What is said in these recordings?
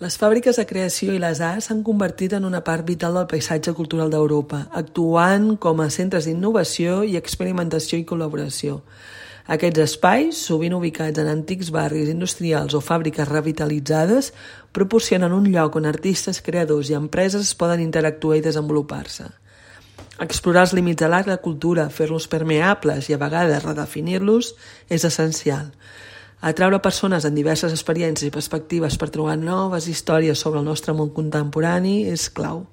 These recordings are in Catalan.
Les fàbriques de creació i les arts s'han convertit en una part vital del paisatge cultural d'Europa, actuant com a centres d'innovació i experimentació i col·laboració. Aquests espais, sovint ubicats en antics barris industrials o fàbriques revitalitzades, proporcionen un lloc on artistes, creadors i empreses poden interactuar i desenvolupar-se. Explorar els límits de l'art i la cultura, fer-los permeables i a vegades redefinir-los és essencial. Atraure persones en diverses experiències i perspectives per trobar noves històries sobre el nostre món contemporani és clau.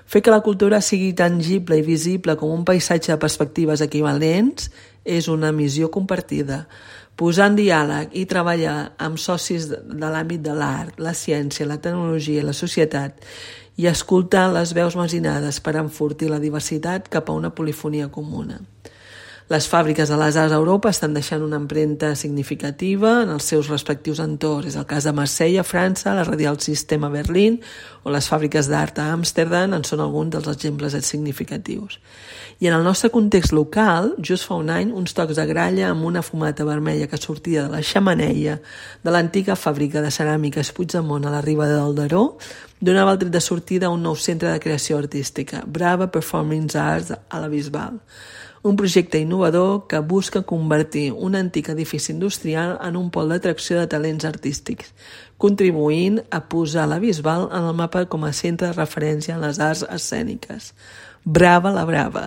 Fer que la cultura sigui tangible i visible com un paisatge de perspectives equivalents és una missió compartida. Posar en diàleg i treballar amb socis de l'àmbit de l'art, la ciència, la tecnologia i la societat i escoltar les veus marginades per enfortir la diversitat cap a una polifonia comuna. Les fàbriques de les arts a Europa estan deixant una empremta significativa en els seus respectius entorns. És el cas de Marsella, a França, la Radial System a Berlín o les fàbriques d'art a Amsterdam en són alguns dels exemples significatius. I en el nostre context local, just fa un any, uns tocs de gralla amb una fumata vermella que sortia de la xemeneia de l'antiga fàbrica de ceràmiques Puigdemont a la riba del Daró donava el tret de sortida a un nou centre de creació artística, Brava Performing Arts a la Bisbal. Un projecte innovador que busca convertir un antic edifici industrial en un pol d'atracció de talents artístics, contribuint a posar la Bisbal en el mapa com a centre de referència en les arts escèniques. Brava la Brava!